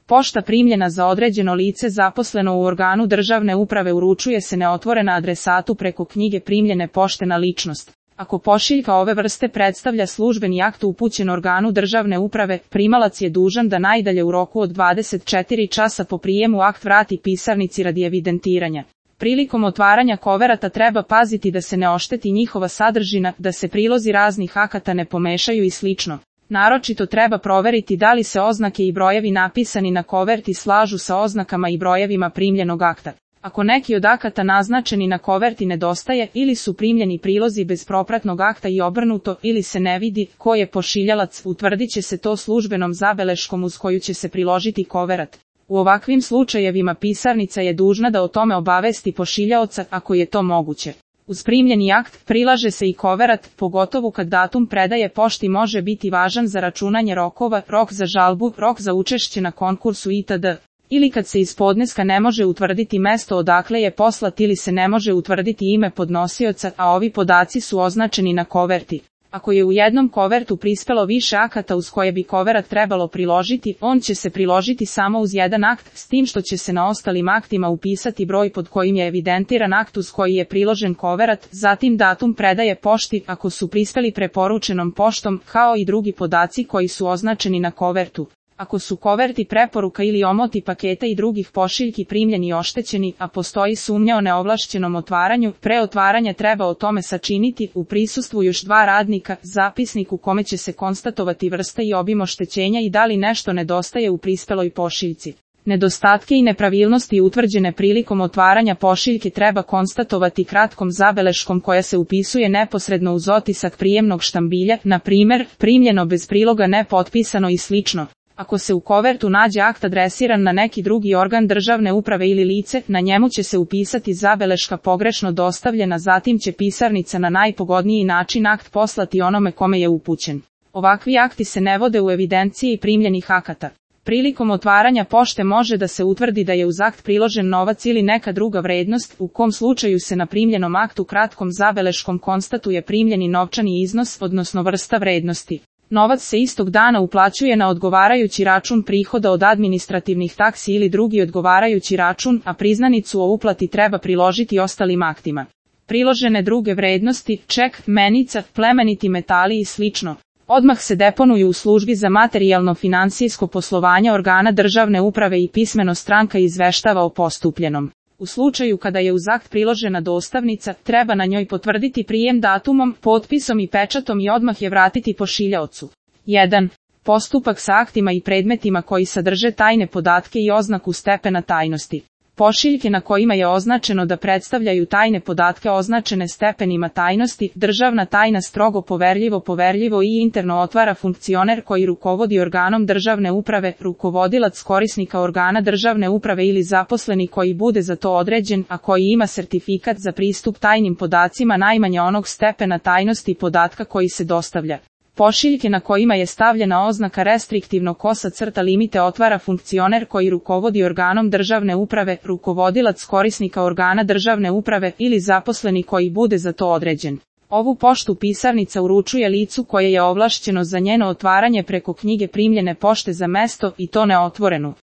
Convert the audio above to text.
Pošta primljena za određeno lice zaposleno u organu državne uprave uručuje se neotvorena adresatu preko knjige primljene pošte na ličnost. Ako pošiljka ove vrste predstavlja službeni akt upućen organu državne uprave, primalac je dužan da najdalje u roku od 24 časa po prijemu akt vrati pisarnici radi evidentiranja. Prilikom otvaranja koverata treba paziti da se ne ošteti njihova sadržina, da se prilozi raznih akata ne pomešaju i slično. Naročito treba proveriti da li se oznake i brojevi napisani na koverti slažu sa oznakama i brojevima primljenog akta. Ako neki od akata naznačeni na koverti nedostaje ili su primljeni prilozi bez propratnog akta i obrnuto ili se ne vidi ko je pošiljalac, utvrdit će se to službenom zabeleškom uz koju će se priložiti koverat. U ovakvim slučajevima pisarnica je dužna da o tome obavesti pošiljaoca ako je to moguće. Uz primljeni akt prilaže se i koverat, pogotovo kad datum predaje pošti može biti važan za računanje rokova, rok za žalbu, rok za učešće na konkursu itd. Ili kad se iz podneska ne može utvrditi mesto odakle je poslat ili se ne može utvrditi ime podnosioca, a ovi podaci su označeni na koverti. Ako je u jednom kovertu prispelo više akata uz koje bi koverat trebalo priložiti, on će se priložiti samo uz jedan akt, s tim što će se na ostalim aktima upisati broj pod kojim je evidentiran akt uz koji je priložen koverat, zatim datum predaje pošti ako su prispeli preporučenom poštom, kao i drugi podaci koji su označeni na kovertu. Ako su koverti preporuka ili omoti paketa i drugih pošiljki primljeni i oštećeni, a postoji sumnja o neovlašćenom otvaranju, pre otvaranja treba o tome sačiniti u prisustvu još 2 radnika zapisnik u kome će se konstatovati vrsta i obim oštećenja i da li nešto nedostaje u prispeloj pošiljci. Nedostatke i nepravilnosti utvrđene prilikom otvaranja pošiljke treba konstatovati kratkom zabeleškom koja se upisuje neposredno uz otisak prijemnog štambilja, na primjer, primljeno bez priloga nepotpisano i slično. Ako se u kovertu nađe akt adresiran na neki drugi organ državne uprave ili lice, na njemu će se upisati zabeleška pogrešno dostavljena, zatim će pisarnica na najpogodniji način akt poslati onome kome je upućen. Ovakvi akti se ne vode u evidenciji primljenih akata. Prilikom otvaranja pošte može da se utvrdi da je uz akt priložen novac ili neka druga vrednost, u kom slučaju se na primljenom aktu kratkom zabeleškom konstatuje primljeni novčani iznos, odnosno vrsta vrednosti. Novac se istog dana uplaćuje na odgovarajući račun prihoda od administrativnih taksi ili drugi odgovarajući račun, a priznanicu o uplati treba priložiti ostalim aktima. Priložene druge vrednosti, ček, menica, plemeniti metali i slično, odmah se deponuju u službi za materijalno-financijsko poslovanje organa državne uprave i pismeno stranka izveštava o postupljenom. U slučaju kada je uz akt priložena dostavnica, treba na njoj potvrditi prijem datumom, potpisom i pečatom i odmah je vratiti pošiljaocu. 1. Postupak sa aktima i predmetima koji sadrže tajne podatke i oznaku stepena tajnosti. Pošiljke na kojima je označeno da predstavljaju tajne podatke označene stepenima tajnosti, državna tajna strogo poverljivo i interno otvara funkcioner koji rukovodi organom državne uprave, rukovodilac korisnika organa državne uprave ili zaposleni koji bude za to određen, a koji ima sertifikat za pristup tajnim podacima najmanje onog stepena tajnosti podatka koji se dostavlja. Pošiljke na kojima je stavljena oznaka restriktivno limite otvara funkcioner koji rukovodi organom državne uprave, rukovodilac korisnika organa državne uprave ili zaposleni koji bude za to određen. Ovu poštu pisarnica uručuje licu koje je ovlašćeno za njeno otvaranje preko knjige primljene pošte za mesto i to neotvorenu.